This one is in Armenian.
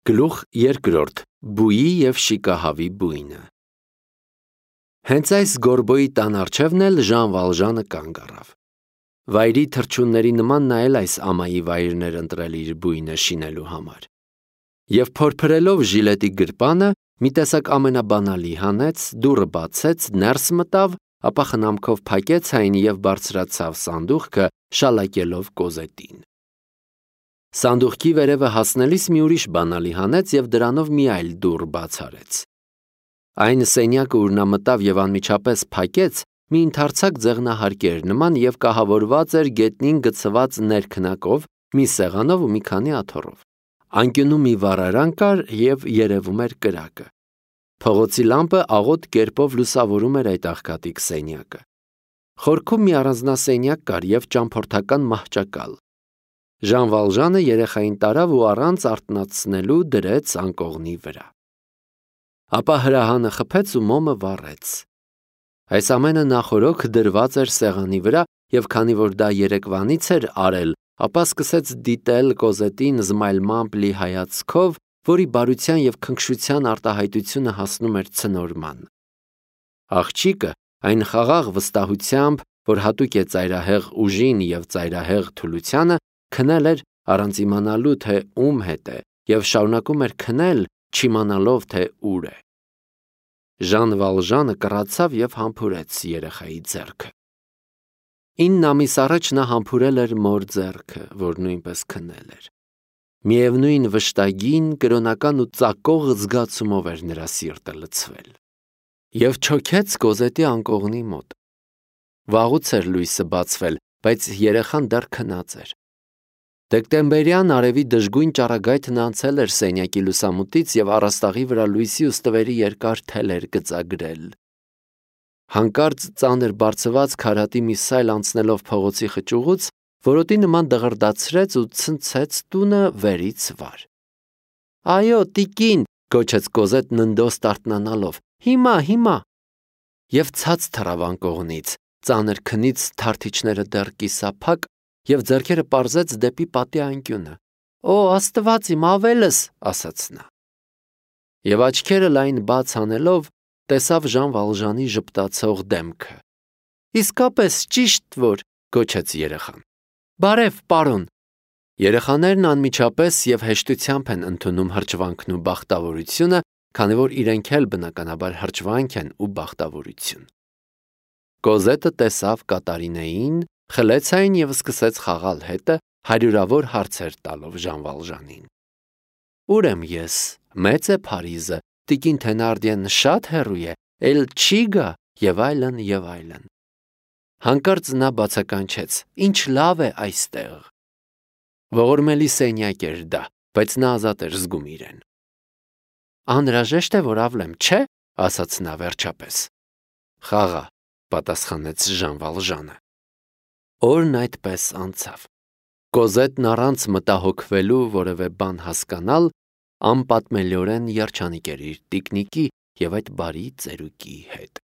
Գլուխ երկրորդ. Բույի և շիկահավի բույնը։ Հենց այս գորբոյի տան առջևն էլ Ժան Վալժանը կանգ առավ։ Վայրի թռչունների նման նա էլ այս ամայի վայրն էր ընտրել իր բույնը շինելու համար։ Եվ փորփրելով ժիլետի գրպանը, մի տեսակ ամենաբանալի հանեց, դուռը բացեց, ներս մտավ, ապա խնամքով փակեց այն և բարձրացավ սանդուղքը, շալակելով Կոզետին։ Սանդուղքի վերևը հասնելիս մի ուրիշ բանալի հանեց և դրանով մի այլ դուռ բաց արեց։ Այն սենյակը, ուր նա մտավ և անմիջապես փակեց, մի ընդարձակ ձեղնահարկ էր նման և կահավորված էր գետնին գցված ներքնակով, մի սեղանով ու մի քանի աթոռով։ Անկյունում մի վառարան կար և երևում էր կրակը։ Փողոցի լամպը աղոտ կերպով լուսավորում էր այդ աղքատիկ սենյակը։ Խորքում մի առանձնասենյակ կար և ճամփորդական մահճակալ։ Ժան Վալժանը երեխային տարավ ու առանց արթնացնելու դրեց անկողնի վրա։ Ապա հրահանը խփեց ու մոմը վառեց։ Այս ամենը նախօրոք դրված էր սեղանի վրա և քանի որ դա երեկվանից էր արել, ապա սկսեց դիտել Կոզետին զմայլմամբ լի հայացքով, որի բարության և քնքշության արտահայտությունը հասնում էր ցնորման։ Աղջիկը այն խաղաղ վստահությամբ, որ հատուկ է ծայրահեղ ուժին և ծայրահեղ թուլությանը, քնել էր առանց իմանալու, թե ում հետ է, և շարունակում էր քնել, չիմանալով, թե ուր է։ Ժան Վալժանը կռացավ և համբուրեց երեխայի ձեռքը։ 9 ամիս առաջ նա համբուրել էր մոր ձեռքը, որ նույնպես քնել էր։ Միևնույն վշտագին, կրոնական ու ծակող զգացումով էր նրա սիրտը լցվել։ Եվ չոքեց Կոզետի անկողնի մոտ։ Վաղուց էր լույսը բացվել, բայց երեխան դեռ քնած էր։ Դեկտեմբերյան արևի դժգույն ճառագայթն անցել էր սենյակի լուսամուտից և առաստաղի վրա լույսի ու ստվերի երկար թել էր գծագրել։ Հանկարծ ծանր բարձված քարատի մի սայլ անցնելով փողոցի խճուղուց, որոտի նման դղրդացրեց ու ցնցեց տունը վերից վար։ «Այո, տիկին», գոչեց Կոզետն ընդոս արթնանալով, հիմա։ Եվ ցած թռավ անկողնից, ծանր քնից թարթիչները դեռ կիսափակ, և ձեռքերը պարզեց դեպի պատի անկյունը։ «Օ, Աստված իմ, ավելս», ասաց նա։ Եվ աչքերը լայն բաց անելով, տեսավ Ժան Վալժանի ժպտացող դեմքը։ «Իսկապես ճիշտ որ», գոչեց երեխան։ «Բարև, պարոն»։ Երեխաներն անմիջապես և հեշտությամբ են ընդունում հրճվանքն ու բախտավորությունը, քանի որ իրենք էլ բնականաբար հրճվանք են ու բախտավորություն։ Կոզետը տեսավ Կատարինեին, խլեց այն և սկսեց խաղալ հետը, հարյուրավոր հարցեր տալով Ժան Վալժանին։ «Ուր եմ ես, մեծ է Փարիզը, տիկին Թենարդիեն շատ հեռու է, էլ չի գա» և այլն, և այլն։ Հանկարծ նա բացականչեց. «Ինչ լավ է այստեղ»։ Ողորմելի սենյակ էր դա, բայց նա ազատ էր զգում իրեն։ «Անհրաժեշտ է, որ ավլեմ, չէ՞, ասաց նա վերջապես։ Խաղա, պատասխանեց Ժան Վալժանը։ Օրն այդպես անցավ։ Կոզետն առանց մտահոգվելու որևէ բան հասկանալ, անպատմելիորեն երջանիկ էր իր տիկնիկի և այդ բարի ծերուկի հետ։